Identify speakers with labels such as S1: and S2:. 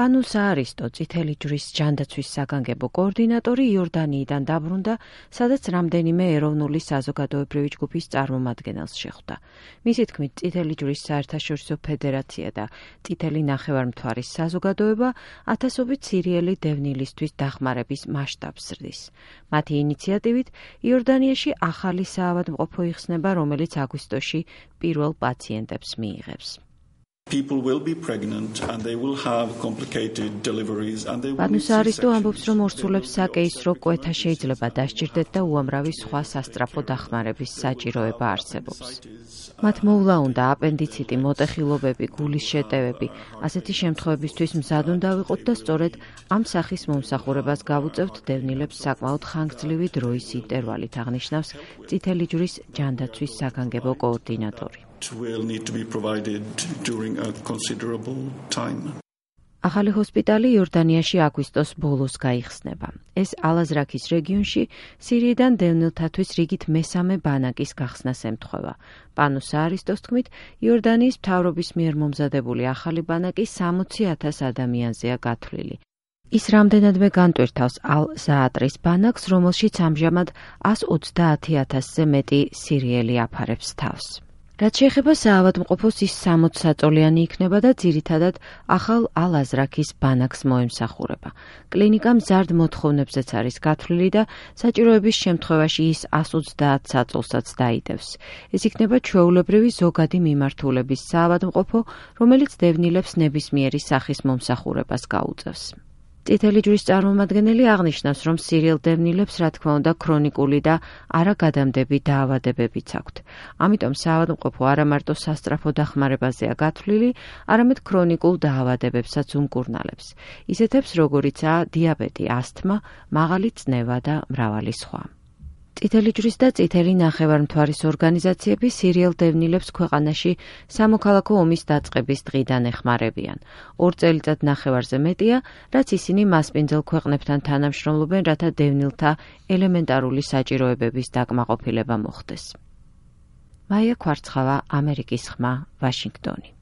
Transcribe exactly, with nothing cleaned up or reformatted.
S1: პანუ საარისტო, წითელი ჯვრის ჯანდაცვის საგანგებო კოორდინატორი იორდანიიდან დაბრუნდა, სადაც რამდენიმე ეროვნული საზოგადოებრივი ჯგუფის წარმომადგენელს შეხვდა. მისი თქმით, წითელი ჯვრის საერთაშორისო ფედერაცია და წითელი ნახევარმთვარის საზოგადოება ათასობით სირიელი დევნილისთვის დახმარების მასშტაბს ზრდის. მათი ინიციატივით იორდანიაში ახალი საავადმყოფო იხსნება, რომელიც აგვისტოში პირველ პაციენტებს მიიღებს. პანუ საარისტო ამბობს, რომ ორსულებს საკეისრო კვეთა შეიძლება დასჭირდეთ და უამრავი სხვა სასწრაფო დახმარების საჭიროება არსებობს. მათ მოვლა უნდა აპენდიციტი, მოტეხილობები, გულის შეტევები. ასეთი შემთხვევებისთვის მზად უნდა ვიყოთ და სწორედ ამ სახის მომსახურებას გავუწევთ დევნილებს საკმაოდ ხანგრძლივი დროის ინტერვალით, აღნიშნავს წითელი ჯვრის ჯანდაცვის საგანგებო კოორდინატორი. ახალი ჰოსპიტალი იორდანიაში აგვისტოს ბოლოს გაიხსნება. ეს ალაზრაქის რეგიონში სირიიდან დევნილთათვის რიგით მესამე ბანაკის გახსნას ემთხვევა. პანუ საარისტოს თქმით, იორდანიის მთავრობის მიერ მომზადებული ახალი ბანაკი სამოცი ათას ადამიანზეა გათვლილი. ის რამდენადმე განტვირთავს ალ-ზაატრის ბანაკს, რომელშიც ამჟამად ას ოცდაათი ათასზე მეტი სირიელი აფარებს თავს. რაც შეეხება საავადმყოფოს, ის სამოც საწოლიანი იქნება და ძირითადად ახალ ალ-აზრაქის ბანაკს მოემსახურება. კლინიკა მზარდ მოთხოვნებზეც არის გათვლილი და საჭიროების შემთხვევაში ის ას ოცდაათ საწოლსაც დაიდევს. ეს იქნება ჩვეულებრივი ზოგადი მიმართულების საავადმყოფო, რომელიც დევნილებს ნებისმიერი სახის მომსახურებას გაუწევს. წითელი ჯვრის წარმომადგენელი აღნიშნავს, რომ სირიელ დევნილებს, რა თქმა უნდა, ქრონიკული და არაგადამდები დაავადებებიც აქვთ. ამიტომ საავადმყოფო არა მარტო სასწრაფო დახმარებაზეა გათვლილი, არამედ ქრონიკულ დაავადებებსაც უმკურნალებს. ისეთებს, როგორიცაა დიაბეტი, ასთმა, მაღალი წნევა და მრავალი სხვა. წითელი ჯვრის და წითელი ნახევარმთვარის ორგანიზაციები სირიელ დევნილებს ქვეყანაში სამოქალაქო ომის დაწყების დღიდან ეხმარებიან. ორ წელიწად ნახევარზე მეტია, რაც ისინი მასპინძელ ქვეყნებთან თანამშრომლობენ, რათა დევნილთა ელემენტარული საჭიროებების დაკმაყოფილება მოხდეს. მაია ქვარცხავა, ამერიკის ხმა, ვაშინგტონი.